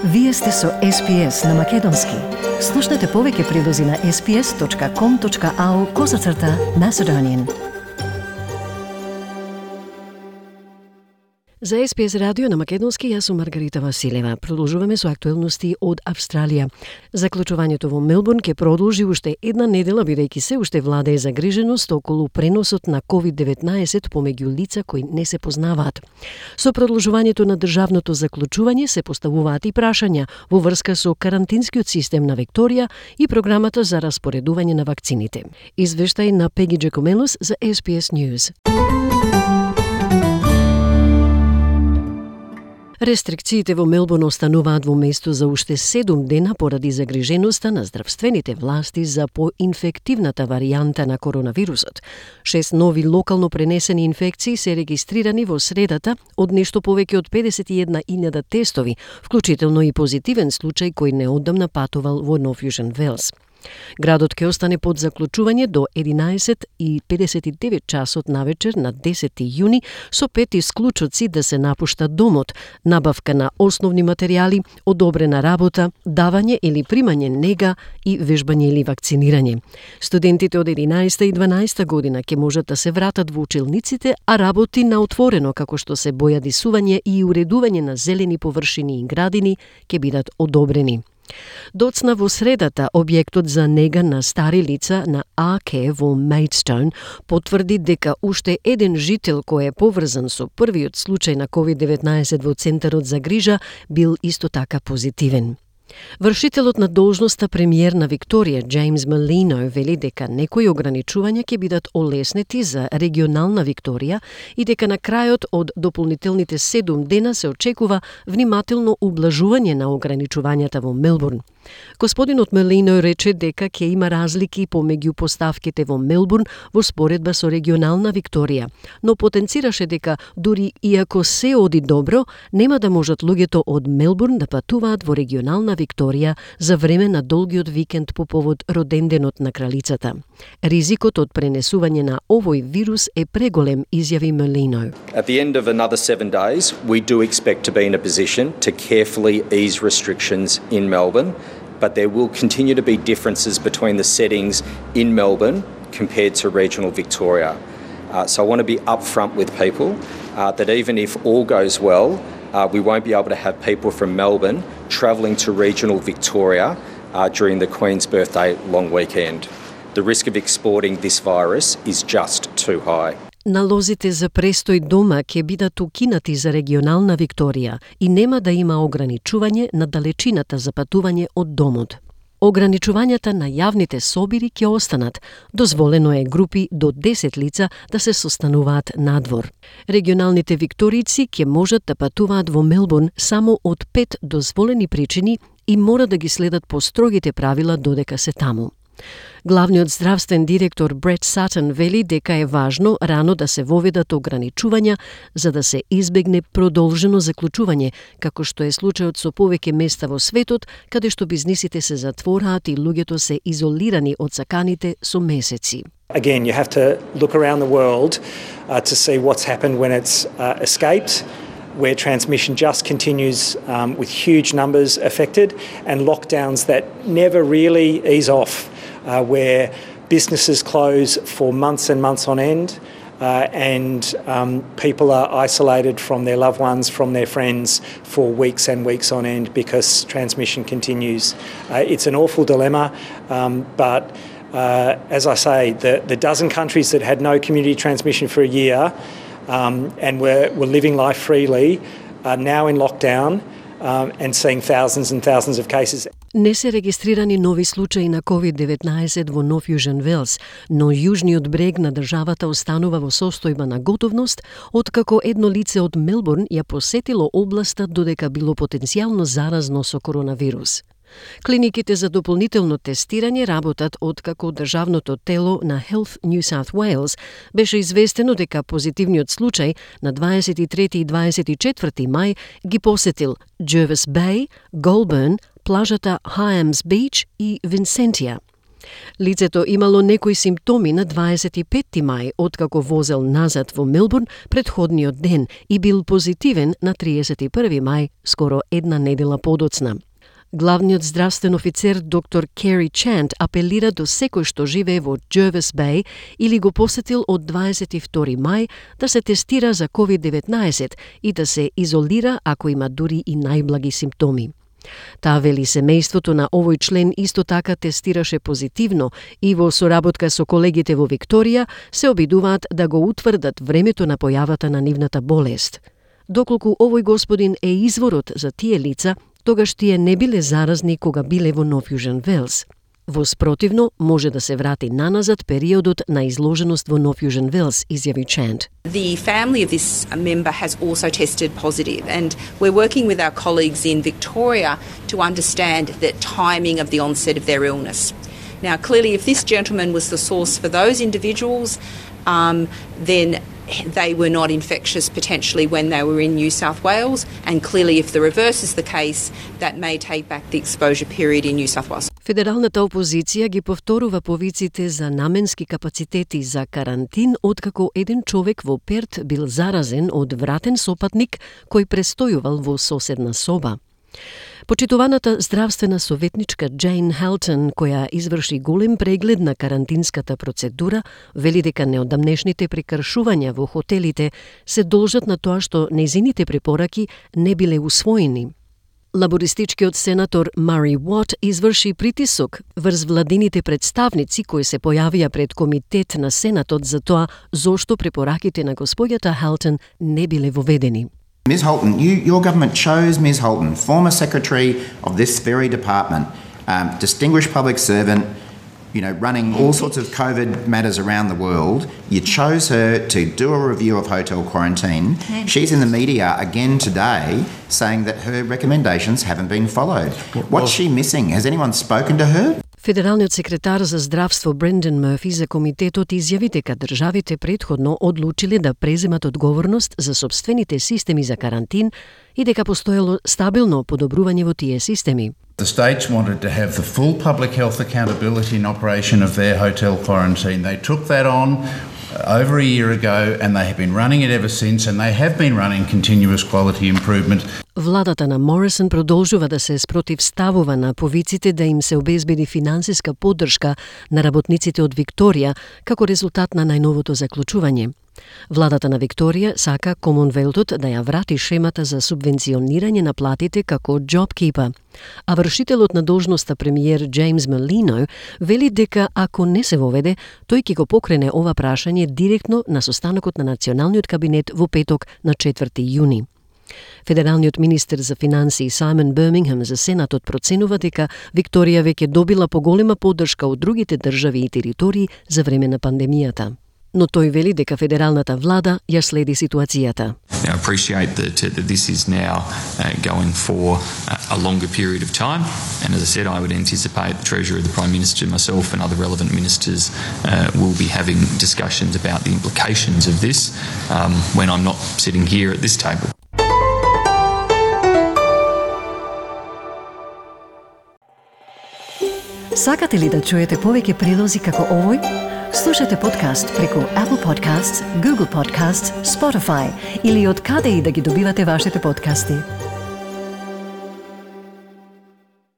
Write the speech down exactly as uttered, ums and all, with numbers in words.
Вие сте со Ес Би Ес на Македонски. Слушнете повеќе прилози на ес би ес точка ком точка ау козацрта Macedonian. За Ес Би Ес радио на Македонски, јас сум Маргарита Василева. Продолжуваме со актуелности од Австралија. Заклучувањето во Мелбурн ќе продолжи уште една недела, бидејќи се уште владее загриженост околу преносот на ковид деветнаесет помеѓу лица кои не се познаваат. Со продолжувањето на државното заклучување се поставуваат и прашања во врска со карантинскиот систем на Викторија и програмата за распоредување на вакцините. Извештај на Пеги Джекомелос за Ес Би Ес News. Рестрикциите во Мелбурн остануваат во место за уште седум дена поради загриженоста на здравствените власти за поинфективната варијанта на коронавирусот. Шест нови локално пренесени инфекции се регистрирани во средата од нешто повеќе од педесет и една илјада тестови, вклучително и позитивен случај кој неодамна патувал во Нов Јужен Велс. Градот ќе остане под заклучување до единаесет и педесет и девет часот навечер на десети јуни со пет исклучоци да се напушта домот, набавка на основни материјали, одобрена работа, давање или примање нега и вежбање или вакцинирање. Студентите од единаесета и дванаесета година ќе можат да се вратат во училниците, а работи на отворено како што се бојадисување и уредување на зелени површини и градини ќе бидат одобрени. Доцна во средата, објектот за нега на стари лица на Аке во Мејдстоун потврди дека уште еден жител кој е поврзан со првиот случај на ковид деветнаесет во Центарот за грижа бил исто така позитивен. Вршителот на должноста премиер на Викторија, Джеймс Малино, вели дека некои ограничувања ќе бидат олеснети за регионална Викторија и дека на крајот од дополнителните седум дена се очекува внимателно ублажување на ограничувањата во Мелбурн. Господинот Малино рече дека ќе има разлики помеѓу поставките во Мелбурн во споредба со регионална Викторија, но потенцираше дека дури и ако се оди добро, нема да можат луѓето од Мелбурн да патуваат во регионална Викторија за време на долгиот викенд по повод роденденот на кралицата. Ризикот од пренесување на овој вирус е преголем, изјави Малино. At the end of another seven days, we do expect to be in a position to carefully ease restrictions in Melbourne, but there will continue to be differences between the settings in Melbourne compared to regional Victoria. Uh, so I want to be upfront with people uh, that even if all goes well, uh, we won't be able to have people from Melbourne travelling to regional Victoria uh, during the Queen's birthday long weekend. The risk of exporting this virus is just too high. Налозите за престој дома ќе бидат укинати за регионална Викторија и нема да има ограничување на далечината за патување од домот. Ограничувањата на јавните собири ќе останат. Дозволено е групи до десет лица да се состануваат надвор. Регионалните викторици ќе можат да патуваат во Мелбурн само од пет дозволени причини и мора да ги следат по строгите правила додека се таму. Главниот здравствен директор Брет Сатон вели дека е важно рано да се воведат ограничувања за да се избегне продолжено заклучување, како што е случајот со повеќе места во светот, каде што бизнисите се затвораат и луѓето се изолирани од саканите со месеци. Again, you have to look around the world uh, to see what's happened when it's uh, escaped, where transmission just continues um, with huge numbers affected, and lockdowns that never really ease off. Uh, where businesses close for months and months on end, uh, and um, people are isolated from their loved ones, from their friends for weeks and weeks on end because transmission continues. Uh, it's an awful dilemma, um, but uh, as I say, the, the dozen countries that had no community transmission for a year um, and were, were living life freely are now in lockdown um, and seeing thousands and thousands of cases. Не се регистрирани нови случаи на ковид деветнаесет во Нов Јужен Велс, но јужниот брег на државата останува во состојба на готовност, откако едно лице од Мелбурн ја посетило областа додека било потенцијално заразно со коронавирус. Клиниките за дополнително тестирање работат откако државното тело на Health New South Wales беше известено дека позитивниот случај на дваесет и трети и дваесет и четврти мај ги посетил Jervis Bay, Goulburn, плажата Hyams Beach и Винсентија. Лицето имало некои симптоми на дваесет и петти мај, откако возел назад во Мелбурн претходниот ден и бил позитивен на триесет и први мај, скоро една недела подоцна. Главниот здравствен офицер доктор Кери Чант апелира до секој што живее во Jervis Bay или го посетил од дваесет и втори мај да се тестира за ковид деветнаесет и да се изолира ако има дури и најблаги симптоми. Таа вели семејството на овој член исто така тестираше позитивно и во соработка со колегите во Викторија се обидуваат да го утврдат времето на појавата на нивната болест. Доколку овој господин е изворот за тие лица, тогаш тие не биле заразни кога биле во Нов Јужен Велс. Во спротивно, може да се врати наназад периодот на изложеност во Нов Јужен Велс, изјави Чант. The family of this member has also tested positive, and we're working with our colleagues in Victoria to understand the timing of the onset of their illness. Now, clearly, if this gentleman was the source for those individuals, um, then they were not infectious potentially when they were in New South Wales, and clearly if the reverse is the case, that may take back the exposure period in New South Wales. Федералната опозиција ги повторува повиците за наменски капацитети за карантин откако еден човек во Перт бил заразен од вратен сопатник кој престојувал во соседна соба. Почитуваната здравствена советничка Джейн Хелтон, која изврши голем преглед на карантинската процедура, вели дека неодамнешните прекршувања во хотелите се должат на тоа што нејзините препораки не биле усвоени. Лабористичкиот сенатор Мари Уот изврши притисок врз владините представници кои се појавија пред комитет на Сенатот за тоа зошто препораките на господјата Хелтон не биле воведени. Miz Holton, you, your government chose Miz Holton, former secretary of this very department, um, distinguished public servant, you know, running all sorts of COVID matters around the world. You chose her to do a review of hotel quarantine. She's in the media again today saying that her recommendations haven't been followed. What's she missing? Has anyone spoken to her? Федералниот секретар за здравство Брендан Мърфи за комитетот изјави дека државите претходно одлучиле да преземат одговорност за собствените системи за карантин и дека постоело стабилно подобрување во тие системи. The states wanted to have the full public health accountability and operation of their hotel quarantine. They took that on over a year ago and they have been running it ever since, and they have been running continuous quality improvement. Владата на Морисон продолжува да се спротивставува на повиците да им се обезбеди финансиска поддршка на работниците од Викторија како резултат на најновото заклучување. Владата на Викторија сака Комонвелтот да ја врати шемата за субвенционирање на платите како JobKeeper, а вршителот на должноста премиер Джеймс Мелино вели дека ако не се воведе, тој ќе го покрене ова прашање директно на состанокот на Националниот кабинет во петок на четврти јуни. Федералниот министер за финансии Саймон Бирмингем за Сенатот проценува дека Викторија веќе добила поголема поддршка од другите држави и територии за време на пандемијата. Но тој вели дека федералната влада ја следи ситуацијата. I appreciate that, that this is now uh, going for a longer period of time, and as I said, I would anticipate the Treasurer, the Prime Minister, myself and other relevant ministers uh, will be having discussions about the implications of this um, when I'm not sitting here at this table. Сакате ли да чуете повеќе прилози како овој? Слушате подкаст преку Apple Podcasts, Google Podcasts, Spotify или од каде и да ги добивате вашите подкасти.